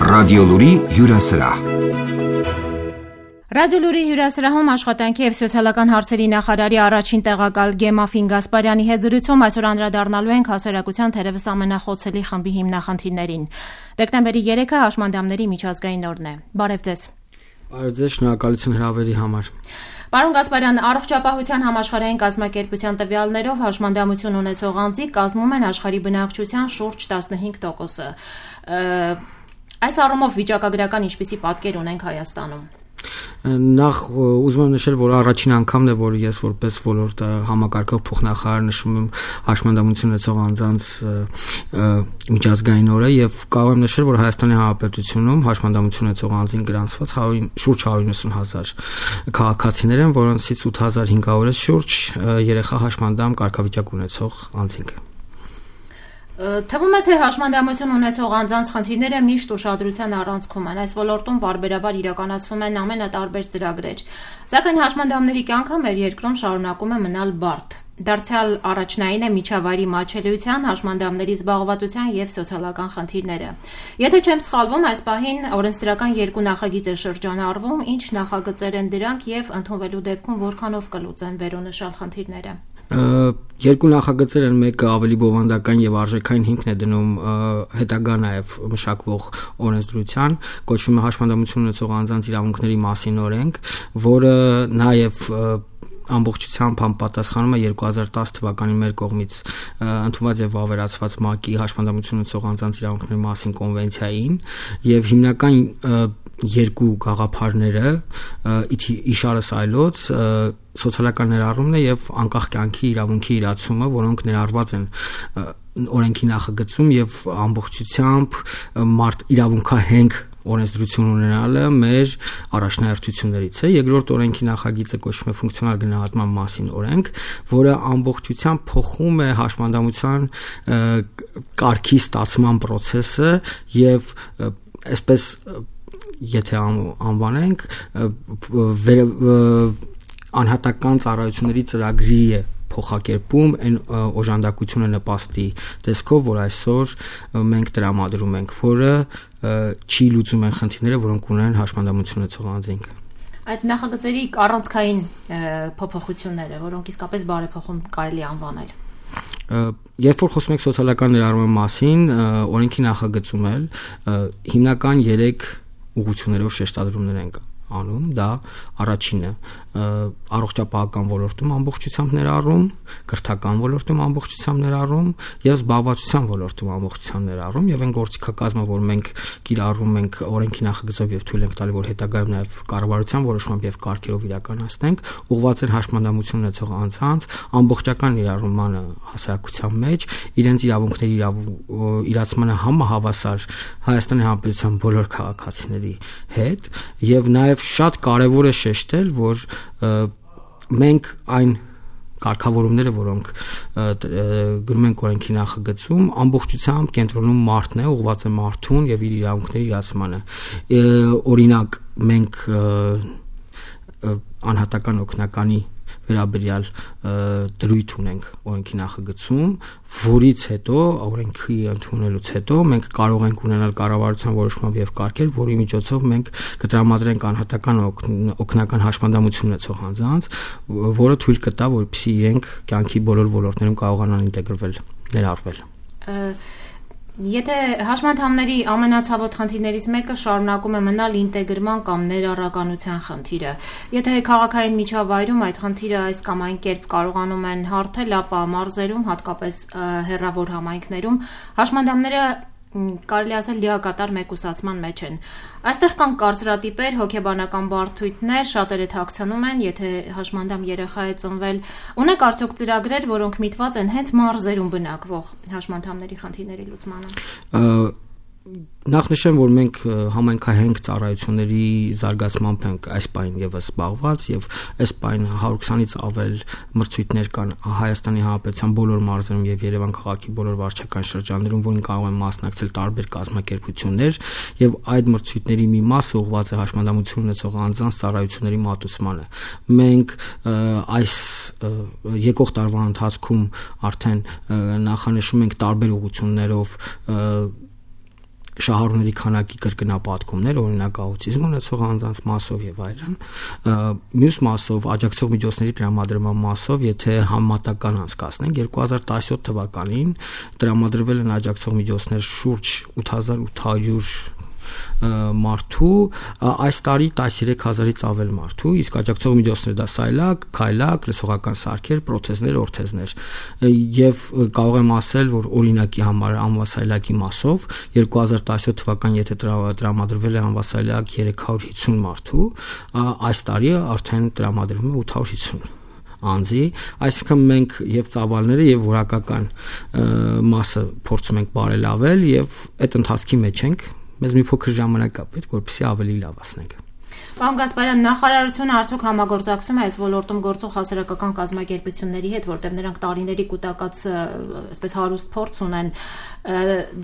Ռադիոլուրի հյուրասրահ։ Ռադիոլուրի հյուրասրահում աշխատանքի և սոցիալական հարցերի նախարարի առաջին տեղակալ Գեմաֆին Գասպարյանի հետ զրույցում այսօր անդրադառնալու ենք հասարակության թերևս ամենախոցելի խմբի հիմնախնդիրներին։ Դեկտեմբերի 3-ը հաշմանդամների միջազգային օրն է։ Բարև ձեզ։ Բարև ձեզ, շնորհակալություն հրավերի համար։ Պարոն Գասպարյան, առողջապահության համաշխարհային կազմակերպության տվյալներով հաշմանդամություն ունեցող անձիկ կազմում են աշխարհի բնակչության շուրջ 15%-ը։ Այս առումով վիճակագրական ինչպիսի պատկեր ունենք Հայաստանում։ Նախ ուզում եմ նշել, որ առաջին անգամն է, որ ես որպես ոլորտ համակարգող փոխնախարար նշում եմ հաշմանդամություն ունեցող անձանց միջազգային օրը եւ կարող եմ նշել, որ Հայաստանի Հանրապետությունում հաշմանդամություն ունեցող անձին գրանցված շուրջ 190,000 քաղաքացիներ են, որոնցից 8,500-ը շուրջ երեխա հաշմանդամ կարգավիճակ ունեցող անձինք։ Թվում է, թե հաշմանդամություն ունեցող անձանց խնդիրները միշտ ուշադրության առանցքում են։ Այս ոլորտում բարբերաբար իրականացվում են ամենատարբեր ծրագրեր։ Սակայն հաշմանդամների կյանքը մեր երկրում շարունակում է մնալ բարդ։ Դարձյալ առաջնային է միջավայրի մատչելիության, հաշմանդամների զբաղվածության և սոցիալական խնդիրները։ Եթե չեմ սխալվում, այս պահին օրենսդրական 2 նախագիծ է շրջանառվում, ինչ նախագծեր են դրանք և ընդունվելու դեպքում որքանով կլուծեն վերոնշյալ խնդիրները։ Երկու նախագծեր են, մեկը ավելի բովանդական եւ արժեքային հիմքն է դնում հետագա նաեւ մշակվող օրենսդրության, կոչվում է հաշմանդամություն ունեցող անձանց իրավունքների մասին օրենք, որը նաեւ ամբողջությամբ համապատասխանում է 2010 թվականին մեր կողմից ընդունված եւ վավերացված ՄԱԿ-ի հաշմանդամություն ունեցող անձանց իրավունքների մասին կոնվենցիային եւ հիմնական երկու գաղափարները իշարս այլոց սոցիալական ներառումն է եւ անկախ կյանքի իրավունքի իրացումը, որոնք ներառված են օրենքի նախագծում եւ ամբողջությամբ մարդ իրավունքահենք օրենսդրություն ունենալը մեր առաջնահերթություններից է։ Երկրորդ օրենքի նախագիծը կոչվում է ֆունկցիոնալ գնահատման մասին օրենք, որը ամբողջությամբ փոխում է հաշմանդամության կարգի ստացման process-ը եւ այսպես եթե անվանենք անհատական ծառայությունների ծրագրի է փոխակերպում այն օժանդակությունը նպաստի տեսքով, որ այսօր մենք տրամադրում ենք, որը չի լուծում այն խնդիրները, որոնք ունեն հաշմանդամություն ունեցող անձինք։ Այդ նախագծերի առանցքային փոփոխությունները, որոնք իսկապես բարեփոխում կարելի անվանել։ Երբ որ խոսում ենք սոցիալական ներառման մասին, օրենքի նախագծում էլ հիմնական 3 ուղղություններով շեշտադրումներ ենք անում, դա առաջինը առողջապահական ոլորտում ամբողջությամբ ներառում, կրթական ոլորտում ամբողջությամբ ներառում եւ զբաղվածության ոլորտում ամբողջությամբ ներառում եւ այն գործիքակազմը, որ մենք կիրառում ենք օրենքի նախագծով եւ թույլ ենք տալի, որ հետագայում նաեւ կառավարության որոշմամբ եւ կարգերով իրականացնենք, ուղղված են հաշմանդամություն ունեցող անձանց ամբողջական ներառմանը հասարակության մեջ, իրենց իրավունքների իրացմանը համահավասար Հայաստանի Հանրապետության բոլոր քաղաքացիների հետ եւ նաեւ շատ կարեւոր է շեշտել, որ մենք այն կարգավորումները, որոնք գրում ենք օրենքի նախագծում, ամբողջությամբ կենտրոնում մարդն է, ուղղված է մարդուն եւ իր իրավունքների իրացմանը։ Օրինակ, մենք անհատական օգնականի վերաբերյալ դրույթ ունենք օրենքի նախագծում, որից հետո օրենքի ընդունելուց հետո մենք կարող ենք ունենալ կառավարության որոշմամբ եւ կարգեր, որի միջոցով մենք կտրամադրենք անհատական օգնական հաշմանդամություն ունեցող անձանց, որը թույլ կտա, որպեսզի իրենք կյանքի բոլոր ոլորտներում կարողանան ինտեգրվել, ներառվել։ Եթե հաշմանդամների ամենացավոտ խնդիրներից մեկը շարունակում է մնալ ինտեգրման կամ ներառականության խնդիրը, եթե քաղաքային միջավայրում այդ խնդիրը այս կամ այն կերպ կարողանում են հարթել, ապա մարզերում, հատկապես հեռավոր համայնքներում, հաշմանդամները կարելի ասել լիակատար մեկուսացման մեջ են։ Այստեղ կան կարծրատիպեր, հոգեբանական բարդույթներ, շատերը թաքցնում են, եթե հաշմանդամ երեխա է ծնվել, ունեք արդյոք ծրագրեր, որոնք միտված են հենց մարզերում բնակվող հաշմանդամների խնդիրների լուծմանը։ Նախ նշեմ, որ մենք համայնքահենք ծառայությունների զարգացմամբ ենք այս պահին եւս զբաղված եւ այս պահին 120-ից ավել մրցույթներ կան Հայաստանի Հանրապետության բոլոր մարզերում եւ Երևան քաղաքի բոլոր վարչական շրջաններում, որին կարող են մասնակցել տարբեր կազմակերպություններ եւ այդ մրցույթների մի մասը ուղղված է հաշմանդամություն ունեցող անձանց ծառայությունների մատուցմանը։ Մենք այս եկող տարվա ընթացքում արդեն նախանշում ենք տարբեր ուղղություններով շահառուների քանակի կրկնապատկումներ, օրինակ աուտիզմ ունեցող անձանց մասով եւ այլն, մյուս մասով աջակցող միջոցների տրամադրման մասով, եթե համեմատական անցկացնենք 2017 թվականին տրամադրվել են աջակցող միջոցներ շուրջ 8800 մարդու, այս տարի 13000-ից ավել մարդու, իսկ աջակցող միջոցները դա սայլակ, քայլակ, լսողական սարքեր, պրոթեզներ, օրթեզներ, եւ կարող եմ ասել, որ օրինակի համար անվասայլակի մասով 2017 թվականին եթե տրամադրվել է անվասայլակ 350 մարդու, այս տարի արդեն տրամադրվում է 850 անձի, այսինքն մենք եւ ծավալները եւ որակական մասը փորձում ենք բարելավել եւ այդ ընթացքի մեջ ենք, մեզ մի փոքր ժամանակ է պետք, որպեսզի ավելի լավացնենք։ Պարոն Գասպարյան, նախարարությունը արդյոք համագործակցում է այս ոլորտում գործող հասարակական կազմակերպությունների հետ, որտեղ նրանք տարիների կուտակած այսպես հարուստ փորձ ունեն,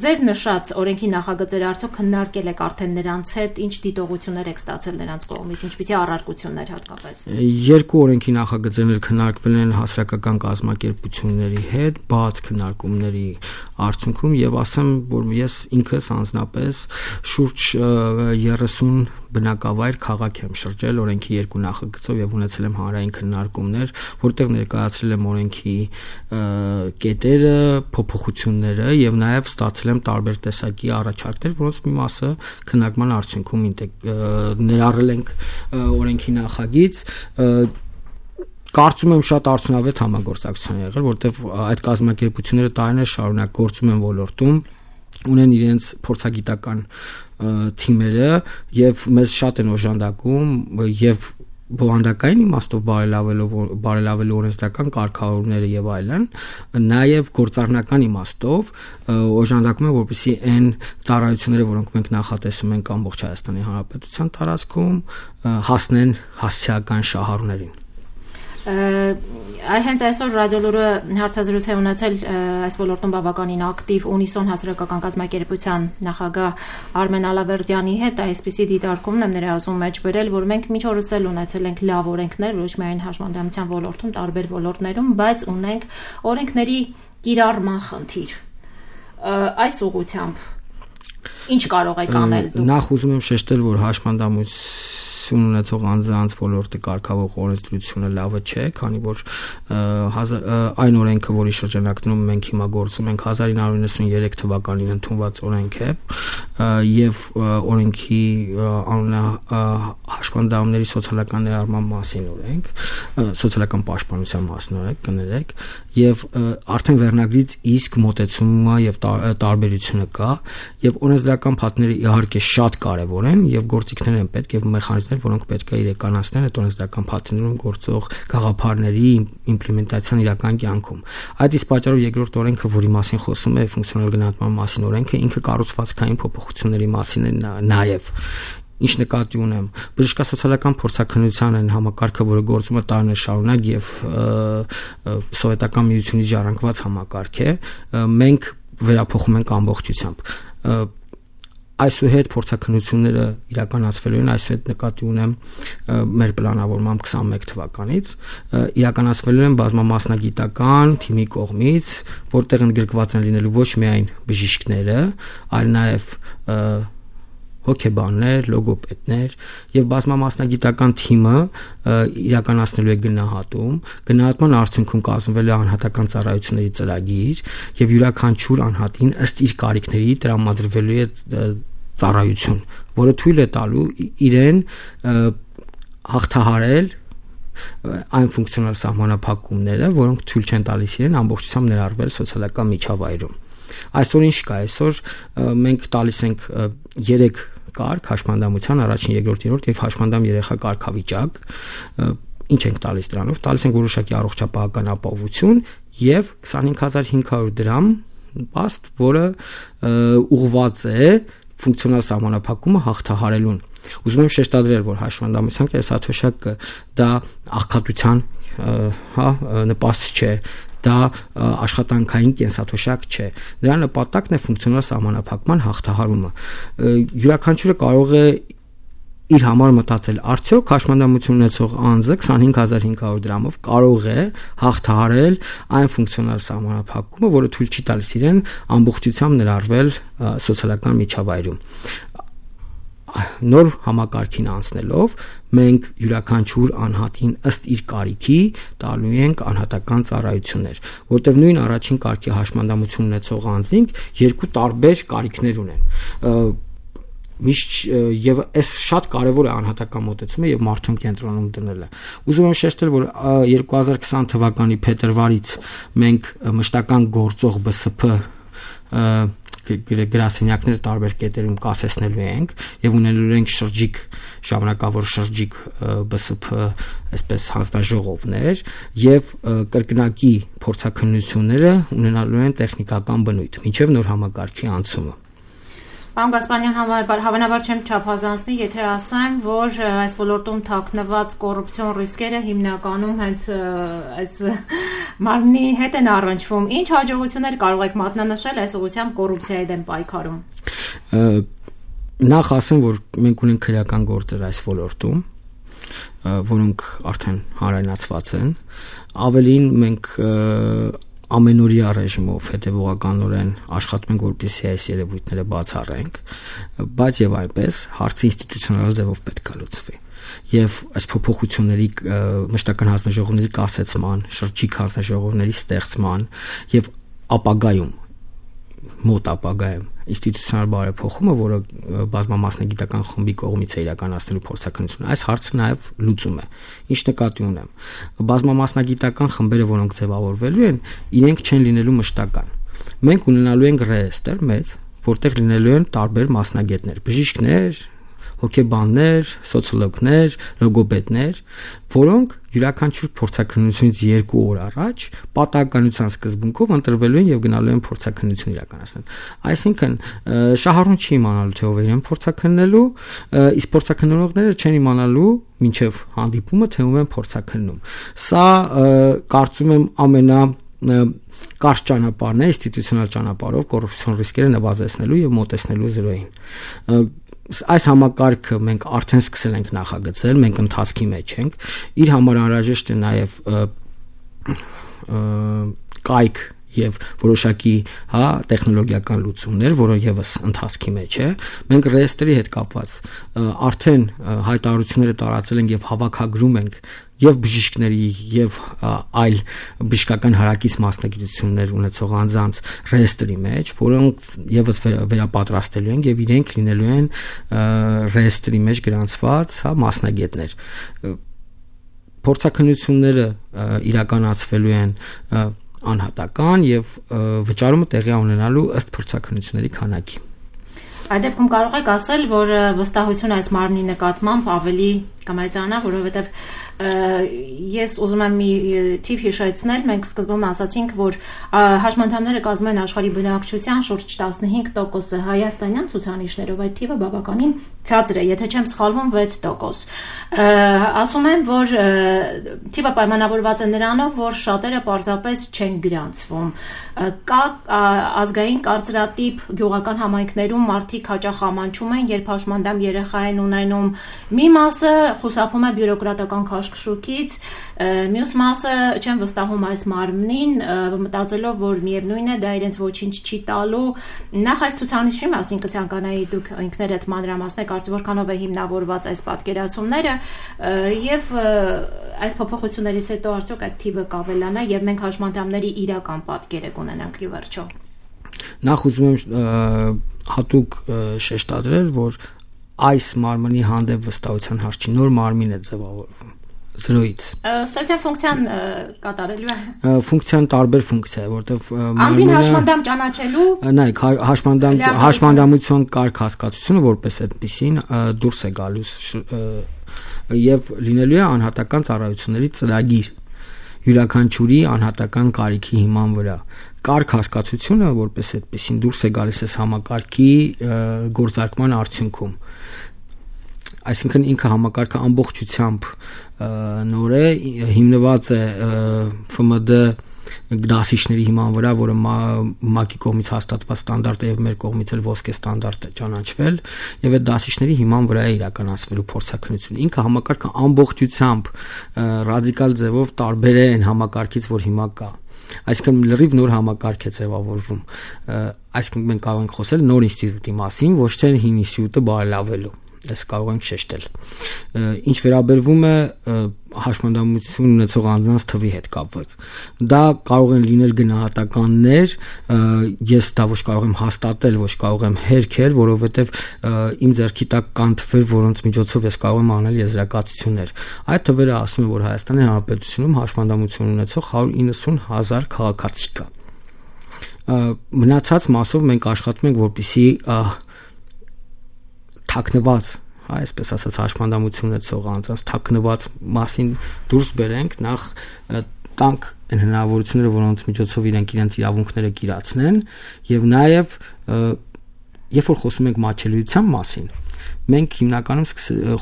ձեր նշած օրենքի նախագծերը արդյոք քննարկել եք արդեն նրանց հետ, ինչ դիտողություններ եք ստացել նրանց կողմից, ինչպիսի առարկություններ հատկապես։ Երկու օրենքի նախագծերներ քննարկվել են հասարակական կազմակերպությունների հետ, բաց քննարկումների արդյունքում եւ ասեմ, որ ես ինքս անձնապես շուրջ 30 բնակավայր քաղաք եմ շրջել օրենքի երկու նախագծով եւ ունեցել եմ հանրային քննարկումներ, որտեղ ներկայացրել եմ օրենքի կետերը, փոփոխությունները եւ նաեւ ստացել եմ տարբեր տեսակի առաջարկներ, որոնց մի մասը քննարկման արդյունքում ներառել ենք օրենքի նախագիծ, կարծում եմ շատ արդյունավետ համագործակցություն է եղել, որտեղ այդ կազմակերպությունները տարիներ շարունակ գործում են ոլորտում, ունեն իրենց փորձագիտական թիմերը եւ մեզ շատ են օժանդակում եւ բովանդակային իմաստով բարելավելու օրենսդրական կարգավորումները եւ այլն, նաեւ գործառնական իմաստով օժանդակում են, որպեսզի այն ծառայությունները, որոնք մենք նախատեսում ենք ամբողջ Հայաստանի Հանրապետության տարածքում, հասնեն հասցեական շահառուներին։ Հենց այսօր ռադիոլուրը հարցազրույց է ունեցել այս ոլորտում բավականին ակտիվ Ունիսոն հասարակական կազմակերպության նախագահ Արմեն Ալավերդյանի հետ, այսպիսի դիտարկումն եմ նրա ասում մեջ բերել, որ մենք մինչ օրս էլ ունեցել ենք լավ օրենքներ, ոչ միայն հաշմանդամության ոլորտում, տարբեր ոլորտներում, բայց ունենք օրենքների կիրառման խնդիր։ Այս ուղղությամբ ինչ կարող եք անել դուք։ Նախ ուզում եմ շեշտել, որ հաշմանդամություն ունեցող անձանց ոլորտը կարգավորող օրենսդրությունը լավը չէ, քանի որ այն օրենքը, որի շրջանակներում մենք հիմա գործում ենք 1993 թվականին ընդունված օրենք է եւ օրենքի անունը հաշմանդամների սոցիալական ներառման մասին օրենք, սոցիալական պաշտպանության մասին օրենք կներեք, եւ արդեն վերնագրից իսկ մոտեցումը եւ տարբերությունը կա եւ օրենսդրական փաթները իհարկե շատ կարեւոր են եւ գործիքներ են պետք եւ մեխանիզմներ, որոնք պետք է իրականացնեն այդ օրենսդրական փաթեթներում գործող գաղափարների իմպլեմենտացիան իրական կյանքում։ Այդ իսկ պատճառով երկրորդ օրենքը, որի մասին խոսում է ֆունկցիոնալ գնահատման մասին օրենքը, ինքը կառուցվածքային փոփոխությունների մասին է նաեւ։ Ինչ նկատի ունեմ, բժշկասոցիալական փորձաքննության այն համակարգը, որը գործում է տարիներ շարունակ եւ սովետական միությունից ժառանգված համակարգ է, մենք վերափոխում ենք ամբողջությամբ։ Այսուհետ փորձաքննությունները իրականացվելու են, այսուհետ նկատի ունեմ մեր պլանավորմամբ 21 թվականից, իրականացվելու են բազմամասնագիտական թիմի կողմից, որտեղ ընդգրկված են լինելու ոչ միայն բժիշկները, այլ նաեւ հոգեբաններ, լոգոպեդներ եւ բազմամասնագիտական թիմը իրականացնելու է գնահատման արդյունքում կազմվել է անհատական ծառայությունների ծրագիր եւ յուրաքանչյուր անհատին ըստ իր կարիքների տրամադրվելու է ծառայություն, որը թույլ է տալու իրեն հաղթահարել այն ֆունկցիոնալ սահմանափակումները, որոնք թույլ չեն տալիս իրեն ամբողջությամբ ներառվել սոցիալական միջավայրում։ Այսօր ինչ կա, այսօր մենք տալիս ենք 3 կարգ հաշմանդամության, առաջին, երկրորդ, երրորդ եւ հաշմանդամ երեխա կարգավիճակ, ինչ ենք տալիս դրանով, տալիս ենք որոշակի առողջապահական ապահովություն եւ 25500 դրամ պաստ, որը ուղղված է ֆունկցիոնալ սահմանափակումը հաղթահարելուն։ Ուզում եմ շեշտադրել, որ հաշմանդամության կենսաթոշակը դա աղքատության նպաստ չէ, դա աշխատանքային կենսաթոշակ չէ։ Դրա նպատակն է ֆունկցիոնալ սահմանափակման հաղթահարումը։ Յուրաքանչյուրը կարող է իր համար մտածել, արդյոք հաշմանդամություն ունեցող անձը 25500 դրամով կարող է հաղթահարել այն ֆունկցիոնալ սահմանափակումը, որը թույլ չի տալիս իրեն ամբողջությամբ ներառվել սոցիալական միջավայրում։ Նոր համակարգին անցնելով մենք յուրաքանչյուր անհատին ըստ իր կարիքի տալու ենք անհատական ծառայություններ, որտեղ նույն առաջին կարգի հաշմանդամություն ունեցող անձինք երկու տարբեր կարիքներ ունեն։ Միշտ եւ այս շատ կարեւոր է անհատական մոտեցումը եւ մարդուն կենտրոնում դնելը։ Ուզում եմ շեշտել, որ 2020 թվականի փետրվարից մենք մշտական գործող ԲՍՓ գրասենյակները տարբեր կետերում կասեցնելու ենք եւ ունենալու ենք ժամանակավոր շրջիկ ԲՍՓ այսպես հանձնաժողովներ եւ կրկնակի փորձաքննությունները ունենալու են տեխնիկական բնույթ մինչեւ նոր համակարգի անցումը։ Պարոն Գասպարյան, հավանաբար չեմ չափազանցնի, եթե ասեմ, որ այս ոլորտում թաքնված կոռուպցիոն ռիսկերը հիմնականում հենց այս մարմնի հետ են առնչվում։ Ինչ հաջողություններ կարող եք մատնանշել այս ուղղությամբ կոռուպցիայի դեմ պայքարում։ Նախ ասեմ, որ մենք ունենք քրեական գործեր այս ոլորտում, որոնք արդեն հանրայնացված են։ Ավելին մենք ամենօրյա ռեժիմով հետևողականորեն աշխատում ենք, որպեսզի այս երևույթները բացառենք, բայց եւ այնպես հարցը ինստիտուցիոնալ ձևով պետք է լուծվի։ Եվ այս փոփոխությունների մշտական հանձնաժողովների կասեցման, շրջիկ հանձնաժողովների ստեղծման եւ ապագայում մոտ ապագայում ինստիտուցիոնալ բարեփոխումը, որը բազմամասնագիտական խմբի կողմից է իրականացնելու փորձաքննություն, այս հարցը նաև լուծում է։ Ինչ նկատի ունեմ։ Բազմամասնագիտական խմբերը, որոնք ձևավորվելու են, իրենք չեն լինելու մշտական։ Մենք ունենալու ենք ռեեստրը մեծ, որտեղ լինելու են տարբեր մասնագետներ, բժիշկներ, հոգեբաններ, սոցիոլոգներ, լոգոպեդներ, որոնք յուրաքանչյուր փորձաքննությունից 2 օր առաջ պատահականության սկզբունքով ընտրվելու են եւ գնալու են փորձաքննություն իրականացնել։ Այսինքն շահառուն չի իմանալու թե ով է իրեն փորձաքննելու, իսկ փորձաքննողները չեն իմանալու մինչեւ հանդիպումը թե ում են փորձաքննում։ Սա կարծում եմ կարճ ճանապարհն է, ինստիտուցիոնալ ճանապարհով կոռուպցիոն ռիսկերը նվազեցնելու եւ մոտեցնելու զրոյին։ Այս համակարգը մենք արդեն սկսել ենք նախագծել, մենք ընթացքի մեջ ենք, իր համար անհրաժեշտ է նաև կայք եւ որոշակի տեխնոլոգիական լուծումներ, որը եւս ընթացքի մեջ է։ Մենք ռեեստրի հետ կապված արդեն հայտարարությունները տարածել ենք եւ հավաքագրում ենք եւ բժիշկների եւ այլ բժշկական հարակից մասնագիտություններ ունեցող անձանց ռեեստրի մեջ, որոնք եւս վերապատրաստելու են եւ իրենք լինելու են ռեեստրի մեջ գրանցված մասնագետներ։ Փորձաքննությունները իրականացվելու են անհատական եւ վճարումը տեղի ունենալու ըստ փորձաքննությունների քանակի։ Այդ դեպքում կարող եք ասել, որ վստահությունը այս մարմնի նկատմամբ ավելի կամայցանա, որովհետեւ ես ուզում եմ մի թիվ հիշեցնել, մենք սկզբում ասացինք, որ հաշմանդամները կազմում են աշխարհի բնակչության շուրջ 15%-ը, հայաստանյան ցուցանիշներով այդ թիվը բավականին ցածր է, եթե չեմ սխալվում 6%։ Ասում են, որ թիվը պայմանավորված է նրանով, որ շատերը պարզապես չեն գրանցվում։ Կա ազգային կարծրատիպ գյուղական համայնքներում մարդիկ հաճախ ամաչում են, երբ հաշմանդամ երեխա են ունենում, մի մասը խուսափում է բյուրոկրատական քաշքշուկից, մյուս մասը չեն վստահում այս մարմնին, մտածելով, որ միևնույն է, դա իրենց ոչինչ չի տալու։ Նախ այս ցուցանիշի մասին կցանկանայի դուք ինքներդ մանրամասնեք, արդյոք որքանով է հիմնավորված այս պատկերացումները եւ այս փոփոխություններից հետո արդյոք այդ թիվը կավելանա եւ մենք հաշմանդամների իրական պատկերը կունենանք ի վերջո։ Նախ ուզում եմ հատուկ շեշտադրել, որ այս մարմնի հանդեպ վստահության հարց չի, նոր մարմին է ձևավորվում զրոյից։ Ստացիա ֆունկցիան կատարելու է։ Ֆունկցիան տարբեր ֆունկցիա է, որտեղ անձին հաշմանդամ ճանաչելու։ Նայեք, հաշմանդամություն կարգ հասկացությունը որպես այդպեսին դուրս է գալուս եւ լինելու է անհատական ծառայությունների ծրագիր յուրաքանչյուրի անհատական կարիքի հիման վրա։ Կարգ հասկացությունը որպես այդպեսին դուրս է գալիս այս համակարգի գործարկման արդյունքում։ Այսինքն ինքը համակարգը ամբողջությամբ նոր է, հիմնված է ՖՄԴ դասիչների հիման վրա, որը ՄԱԿ-ի կողմից հաստատված ստանդարտ է եւ մեր կողմից էլ ոսկե ստանդարտ է ճանաչվել, եւ այդ դասիչների հիման վրա է իրականացվելու փորձաքննությունը։ Ինքը համակարգը ամբողջությամբ ռադիկալ ձևով տարբեր է այն համակարգից, որ հիմա կա։ Այսինքն լրիվ նոր համակարգ է ձևավորվում։ Այսինքն մենք կարող ենք խոսել նոր ինստիտուտի մասին, ոչ թե հին ինստիտուտը բարելավելու։ Այս կարող ենք շեշտել։ Ինչ վերաբերվում է հաշմանդամություն ունեցող անձանց թվի հետ կապված, դա կարող են լինել գնահատականներ, ես դա ոչ կարող եմ հաստատել, ոչ կարող եմ հերքել, որովհետև իմ ձեռքի տակ կան թվեր, որոնց միջոցով ես կարող եմ անել եզրակացություններ։ Այդ թվերը ասում են, որ Հայաստանի Հանրապետությունում հաշմանդամություն ունեցող 190,000 քաղաքացի կա։ Մնացած մասով մենք աշխատում ենք, որպեսզի թաքնված, այսպես ասած, հաշմանդամություն ունեցող անձանց թաքնված մասին դուրս բերենք, նախ տանք այն հնարավորությունները, որոնց միջոցով իրենք իրենց իրավունքները կիրացնեն, եւ նաեւ երբ որ խոսում ենք մատչելիության մասին, մենք հիմնականում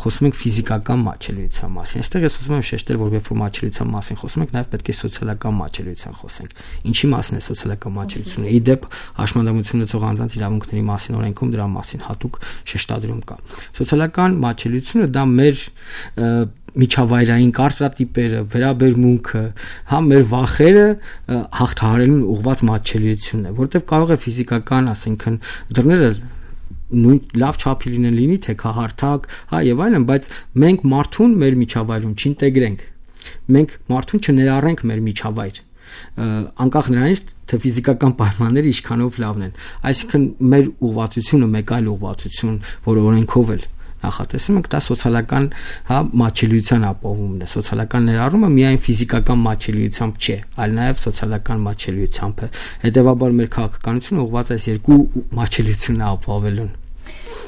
խոսում ենք ֆիզիկական մատչելիության մասին։ Այստեղ ես ուզում եմ շեշտել, որ երբ որ մատչելիության մասին խոսում ենք, նաև պետք է սոցիալական մատչելիության խոսենք։ Ինչի մասին է սոցիալական մատչելիությունը։ Իդեպ հաշմանդամություն ունեցող անձանց իրավունքների մասին օրենքում դրա մասին հատուկ շեշտադրում կա։ Սոցիալական մատչելիությունը դա մեր միջավայրային կարծրատիպերը, վերաբերմունքը, հա մեր վախերը հաղթահարելուն ուղղված մատչելիությունն է, որտեղ կարող է ֆիզիկական, ասենքն դռները նույն լավ չափի լինի թե քահարթակ, հա եւ այլն, բայց մենք մարդուն մեր միջավայրում չինտեգրենք։ Մենք մարդուն չներառենք մեր միջավայր։ Անկախ նրանից թե ֆիզիկական պայմանները ինչքանով լավն են։ Այսինքն մեր ուղղվածությունը մեկ այլ ուղղվածություն, որը օրենքով էլ նախատեսում ենք, դա սոցիալական, հա, մատչելիության ապահովումն է։ Սոցիալական ներառումը միայն ֆիզիկական մատչելիությամբ չէ, այլ նաև սոցիալական մատչելիությամբ է։ Հետևաբար մեր քաղաքականությունը ուղղված այս երկու մատչելիությունն ապահովելուն։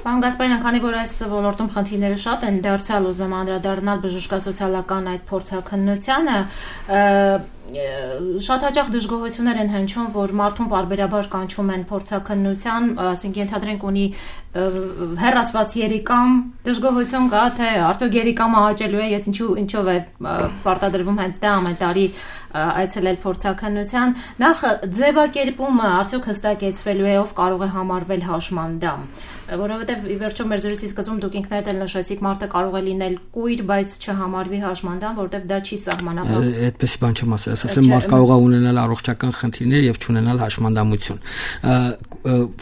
Պարոն Գասպարյան, քանի որ այս ոլորտում խնդիրները շատ են, դարձյալ ուզում եմ անդրադառնալ բժշկասոցիալական այդ փորձաքննությանը, շատ հաճախ դժգոհություններ են հնչում, որ մարդուն պարբերաբար կանչում են փորձաքննության, ասենք ենթադրենք ունի հեռացված երիկամ, դժգոհություն կա, թե արդյոք երիկամը հաճելու է, ես ինչով է պարտադրվում հենց դա ամեն տարի այցելել փորձաքննության, նախ ձևակերպումը արդյոք հստակեցվելու է, ով կարող է համարվել հաշմանդամ, որովհետև ի վերջո մեր զրույցի սկզբում դուք ինքներդ էլ նշեցիք, մարդը կարող է լինել կույր, բայց չհամարվի հաշմանդամ, որովհետև դա չի սահմանափակվում։ Այդպես բան չեմ ասել, ասեմ մարդ կարող է ունենալ առողջական խնդիրներ եւ չունենալ հաշմանդամություն։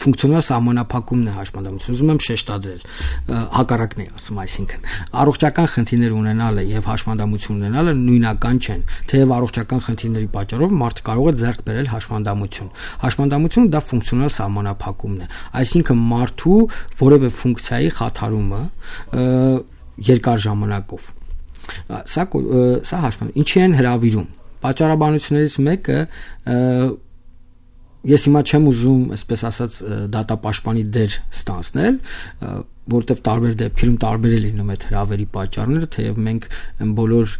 Ֆունկցիոնալ սահմանափակումն է հաշմանդամություն։ Ուզում եմ շեշտադրել, հակառակն է ասում, այսինքն առողջական խնդիրներ ունենալը եւ հաշմանդամություն ունենալը նույնական չեն, թեև առողջական խնդիրների պատճառով մարդը կարող է ձեռք բերել հաշմանդամություն։ Հաշմանդամությունը դա ֆունկցիոնալ սահմանափակումն է, այսինքն մարդու որևէ ֆունկցիայի խաթարումը երկար ժամանակով։ Սա հաշմանդամ։ Ինչի են հրավիրում։ Պատճառաբանություններից մեկը ես հիմա չեմ ուզում, այսպես ասած, դատապաշտպանի դեր ստանձնել, որտեղ տարբեր դեպքերում տարբեր է լինում այդ հրավերի պատճառները, թեև մենք բոլոր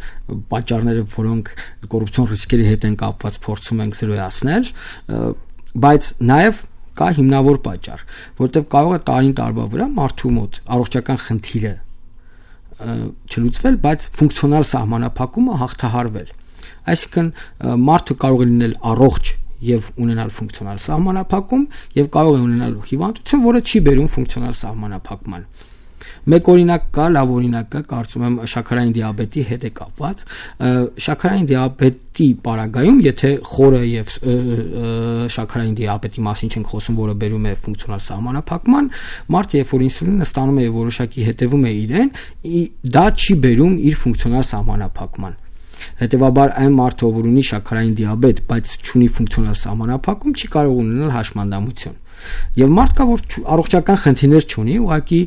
պատճառները, որոնք կոռուպցիոն ռիսկերի հետ են կապված, փորձում ենք զրոյացնել, բայց նաև կա հիմնավոր պատճառ, որտեղ կարող է տարին տարվա վրա մարդու մոտ առողջական խնդիրը չլուծվել, բայց ֆունկցիոնալ սահմանափակումը հաղթահարվել։ Այսինքն մարդը կարող է լինել առողջ եւ ունենալ ֆունկցիոնալ սահմանափակում եւ կարող է ունենալ հիվանդություն, որը չի բերում ֆունկցիոնալ սահմանափակման։ Մեկ օրինակ կա, լավ օրինակ կա, կարծում եմ շաքարային դիաբետի հետ է կապված։ Շաքարային դիաբետի պարագայում, եթե խորը եւ շաքարային դիաբետի մասին չենք խոսում, որը բերում է ֆունկցիոնալ սահմանափակման, մարդը երբ որ ինսուլինը ստանում է եւ որոշակի հետևում է իրեն, դա չի բերում իր ֆունկցիոնալ սահմանափակման։ Հետևաբար այն մարդը, որ ունի շաքարային դիաբետ, բայց չունի ֆունկցիոնալ սահմանափակում, չի կարող ունենալ հաշմանդամություն։ Եվ մարդ կա, որ առողջական խնդիրներ չունի, ուղղակի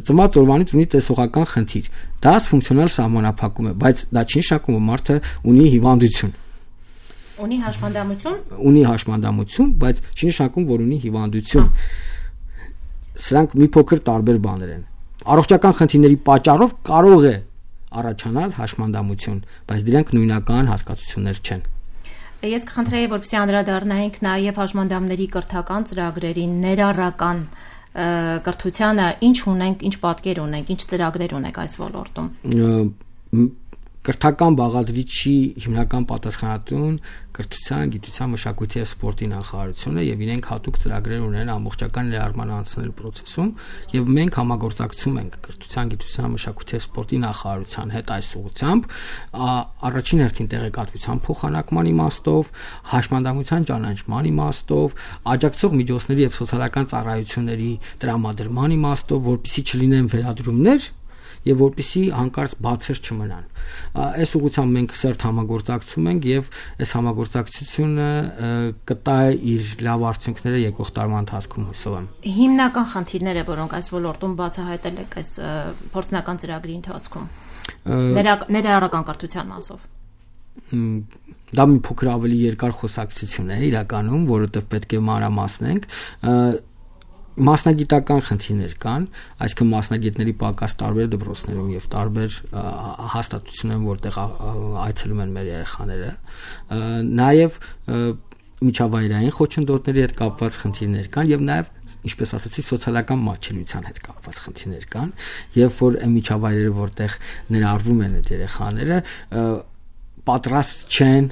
ծնված օրվանից ունի տեսողական խնդիր։ Դա ֆունկցիոնալ սահմանափակում է, բայց դա չի նշանակում, որ մարդը ունի հիվանդություն։ Ունի հաշմանդամություն։ Ունի հաշմանդամություն, բայց չի նշանակում, որ ունի հիվանդություն։ Սրանք մի փոքր տարբեր բաներ են։ Առողջական խնդիրների պատճառով կարող է առաջանալ հաշմանդամություն, բայց դրանք նույնական հասկացություններ չեն։ Ես կխնդրեի, որպեսզի անդրադառնայինք նաև հաշմանդամների կրթական ծրագրերին, ներառական կրթությանը, ինչ ունենք, ինչ պատկեր ունենք, ինչ ծրագրեր ունենք այս ոլորտում։ կրթական բաղադրիչի հիմնական պատասխանատուն կրթության, գիտության, մշակույթի եւ սպորտի նախարարությունը եւ իրենք հատուկ ծրագրեր ունեն ամբողջական ներառման անցնելու process-ում եւ մենք համագործակցում ենք կրթության, գիտության, մշակույթի եւ սպորտի նախարարության հետ այս ուղղությամբ առաջին հերթին տեղեկատվության փոխանակման իմաստով, հաշմանդամության ճանաչման իմաստով, աջակցող միջոցների եւ սոցիալական ծառայությունների տրամադրման իմաստով, որպեսզի չլինեն վերադրումներ եւ որպեսզի հանկարծ բացեր չմնան։ Այս ուղղությամբ մենք սերտ համագործակցում ենք եւ այս համագործակցությունը կտա իր լավ արդյունքները եկող տարվա ընթացքում հուսով եմ։ Հիմնական խնդիրները, որոնք այս ոլորտում բացահայտել եք այս փորձնական ծրագրի ընթացքում, ներառական կրթության մասով։ Դա մի փոքր ավելի երկար խոսակցություն է իրականում, որովհետեւ պետք է մանրամասնենք մասնագիտական խնդիրներ կան, այսինքն մասնագետների պակաս տարբեր դպրոցներում եւ տարբեր հաստատություններում, որտեղ այցելում են մեր երեխաները, նաեւ միջավայրային խոչընդոտների հետ կապված խնդիրներ կան եւ նաեւ, ինչպես ասացի, սոցիալական մատչելիության հետ կապված խնդիրներ կան, եւ որ այն միջավայրերը, որտեղ ներառվում են այդ երեխաները, պատրաստ չեն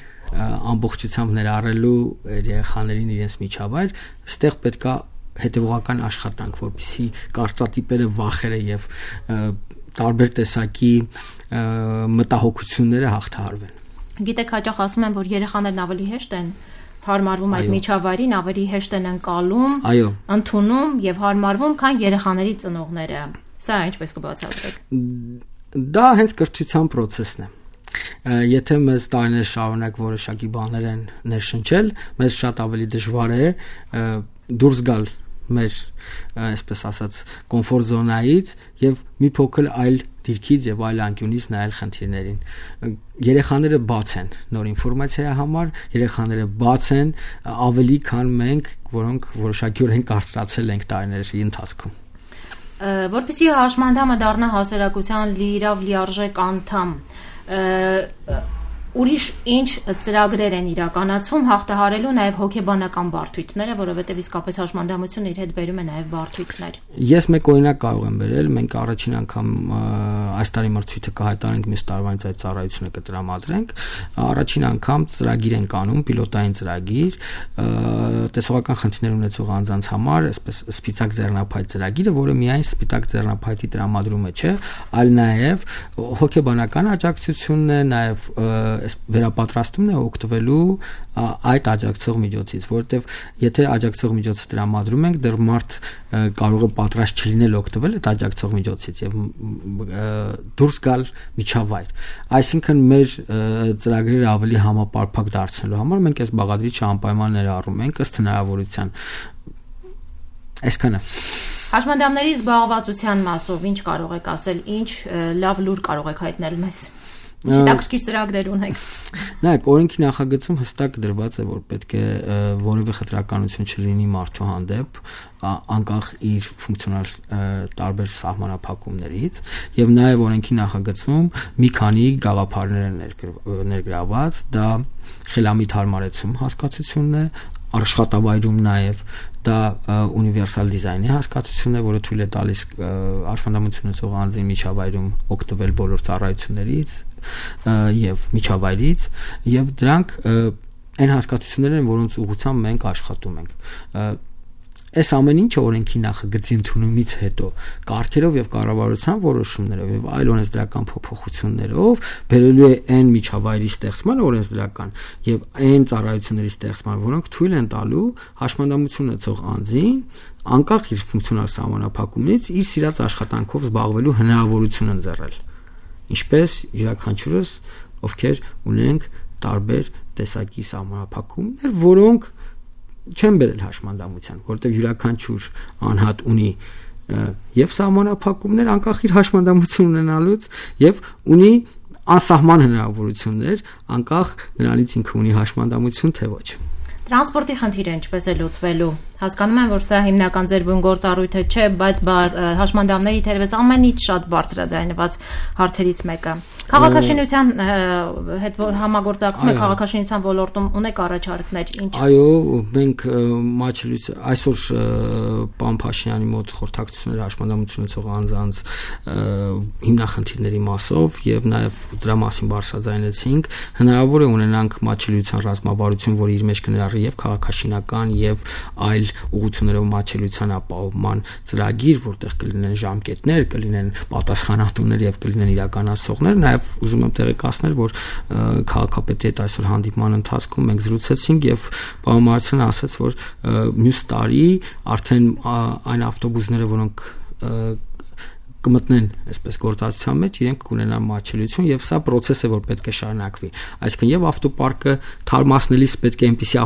ամբողջությամբ ներառելու երեխաներին իրենց միջավայր, այստեղ պետքա հետևողական աշխատանք, որպեսզի կարծրատիպերը, վախերը եւ տարբեր տեսակի մտահոգությունները հաղթահարվեն։ Գիտեք, հաճախ ասում են, որ երեխաներն ավելի հեշտ են հարմարվում այդ միջավայրին, ավելի հեշտ են ընկալում, ընդունում եւ հարմարվում, քան երեխաների ծնողները։ Սա ինչպես կբացատրեք։ Դա հենց կրթության process-ն է։ Եթե մեզ տարիներ շարունակ որոշակի բաներ են ներշնչել, մեզ շատ ավելի դժվար է դուրս գալ մեր, այսպես ասած, կոմֆորտ զոնայից եւ մի փոքր այլ դիրքից եւ այլ անկյունից նայել խնդիրներին։ Երեխաները բաց են նոր ինֆորմացիայի համար, երեխաները բաց են ավելի քան մենք, որոնք որոշակիորեն կարծրացել ենք տարիների ընթացքում։ Որպեսզի հաշմանդամը դառնա հասարակության լիիրավ լիարժեք անդամ, ուրիշ ինչ ծրագրեր են իրականացվում հաղթահարելու նաև հոգեբանական բարդույթները, որովհետև իսկապես հաշմանդամությունը իր հետ բերում է նաև բարդույթներ։ Ես մեկ օրինակ կարող եմ բերել, մենք առաջին անգամ այս տարի մրցույթը կհայտարարենք, մյուս տարվանից այդ ծառայությունը կտրամադրենք, առաջին անգամ ծրագիր ենք անում, պիլոտային ծրագիր, տեսողական խնդիրներ ունեցող անձանց համար, այսպես սպիտակ ձեռնափայտ ծրագիրը, որը միայն սպիտակ ձեռնափայտի տրամադրումը չէ, այլ նաև հոգեբանական աջակցությունն է, նաև վերապատրաստումն է օգտվելու այդ աջակցող միջոցից, որովհետև եթե աջակցող միջոցը տրամադրում ենք, դեռ մարդ կարող է պատրաստ չլինել օգտվել այդ աջակցող միջոցից եւ դուրս գալ միջավայր։ Այսինքն մեր ծրագրերը ավելի համապարփակ դարձնելու համար մենք այս բաղադրիչը անպայման ներառում ենք ըստ հնարավորության։ Այսքանը։ Հաշմանդամների զբաղվածության մասով ինչ կարող եք ասել, ինչ լավ լուր կարող եք հայտնել մեզ։ Հետաքրքիր ծրագրեր ունեք։ Նայեք, օրենքի նախագծում հստակ դրված է, որ պետք է որևէ խտրականություն չլինի մարդու հանդեպ, անկախ իր ֆունկցիոնալ տարբեր սահմանափակումներից, եւ նաեւ օրենքի նախագծում մի քանի գաղափարներ են ներգրաված, դա խելամիտ հարմարեցում հասկացությունն է, աշխատավայրում նաև դա ունիվերսալ դիզայնի հասկացությունն է, որը թույլ է տալիս աշխատամություն ունեցող անձին միջավայրում օգտվել բոլոր ծառայություններից եւ միջավայրից, եւ դրանք այն հասկացություններն են, որոնց ուղղությամբ մենք աշխատում ենք։ Այս ամեն ինչը օրենքի նախագծի ընդունումից հետո կարգերով եւ կառավարության որոշումներով եւ այլ օրենսդրական փոփոխություններով բերելու է այն միջավայրի ստեղծման օրենսդրական եւ այն ծառայությունների ստեղծման, որոնք թույլ են տալու հաշմանդամություն ունեցող անձին անկախ իր ֆունկցիոնալ սահմանափակումից իր սիրած աշխատանքով զբաղվելու հնարավորություն ընձեռել։ Ինչպես յուրաքանչյուրս, ովքեր ունենք տարբեր տեսակի սահմանափակումներ, որոնք չեն բերել հաշմանդամության, որտեղ յուրաքանչյուր անհատ ունի եւ սահմանափակումներ անկախ իր հաշմանդամություն ունենալուց եւ ունի անսահման հնարավորություններ անկախ նրանից ինքը ունի հաշմանդամություն թե ոչ։ Տրանսպորտի խնդիրը ինչպես է լուծվելու։ Հասկանում եմ, որ սա հիմնական ձեր բուն գործառույթը չէ, բայց հաշմանդամների թերևս ամենից շատ բարձրաձայնված հարցերից մեկը։ Քաղաքաշինության հետ համագործակցում քաղաքաշինության ոլորտում ունեք առաջարկներ, ինչ։ Այո, մենք այսօր պարոն Փաշինյանի մոտ խորհրդակցություններ հաշմանդամություն ունեցող անձանց հիմնախնդիրների մասով եւ նաեւ դրա մասին բարձրաձայնեցինք, հնարավոր է ունենանք մատչելիության ռազմավարություն, որը իր մեջ կներառի եւ քաղաքաշինական եւ այլ ուղղություններով մատչելիության ապահովման ծրագիր, որտեղ կլինեն ժամկետներ, կլինեն պատասխանատուներ եւ կլինեն իրականացողներ, նաեւ ուզում եմ տեղեկացնել, որ քաղաքապետի հետ այսօր հանդիպման ընթացքում մենք զրուցեցինք եւ պարոն Մարցյանը ասաց, որ մյուս տարի արդեն այն ավտոբուսները, որոնք կմտնեն այսպես գործածության մեջ, իրենք կունենան մատչելիություն եւ սա process է, որ պետք է շարունակվի։ Այսինքն եւ ավտոպարկը թարմացնելիս պետք է այնպիսի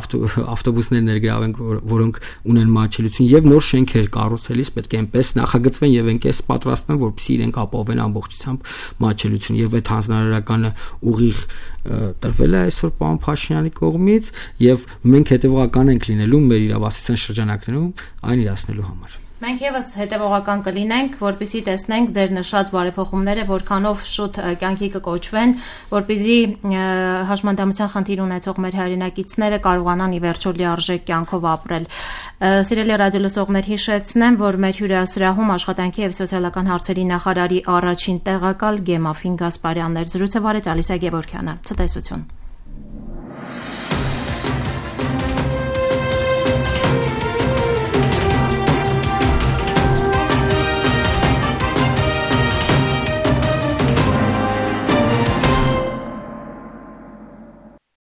ավտոբուսներ ներգրավենք, որոնք ունեն մատչելիություն եւ նոր շենքեր կառուցելիս պետք է այնպես նախագծվեն եւ այնպես պատրաստվեն, որպեսզի իրենք ապահովեն ամբողջությամբ մատչելիություն եւ այդ հանձնարարականը ուղիղ տրվել է այսօր պարոն Փաշինյանի կողմից եւ մենք հետեւողական ենք լինելու մեր իրավասության շրջանակներում այն իրացնելու համար։ Մենք եւս հետևողական կլինենք, որպեսզի տեսնենք ձեր նշած բարեփոխումները որքանով շուտ կյանքի կկոչվեն, որպեսզի հաշմանդամության խնդիր ունեցող մեր հայրենակիցները կարողանան ի վերջո լիարժեք կյանքով ապրել։ Սիրելի ռադիոլսողներ, հիշեցնեմ, որ մեր հյուրասրահում աշխատանքի եւ սոցիալական հարցերի նախարարի առաջին տեղակալ Գեմաֆին Գասպարյանն էր, զրույցը վարեց Ալիսա Գևորգյանը։ Ցտեսություն։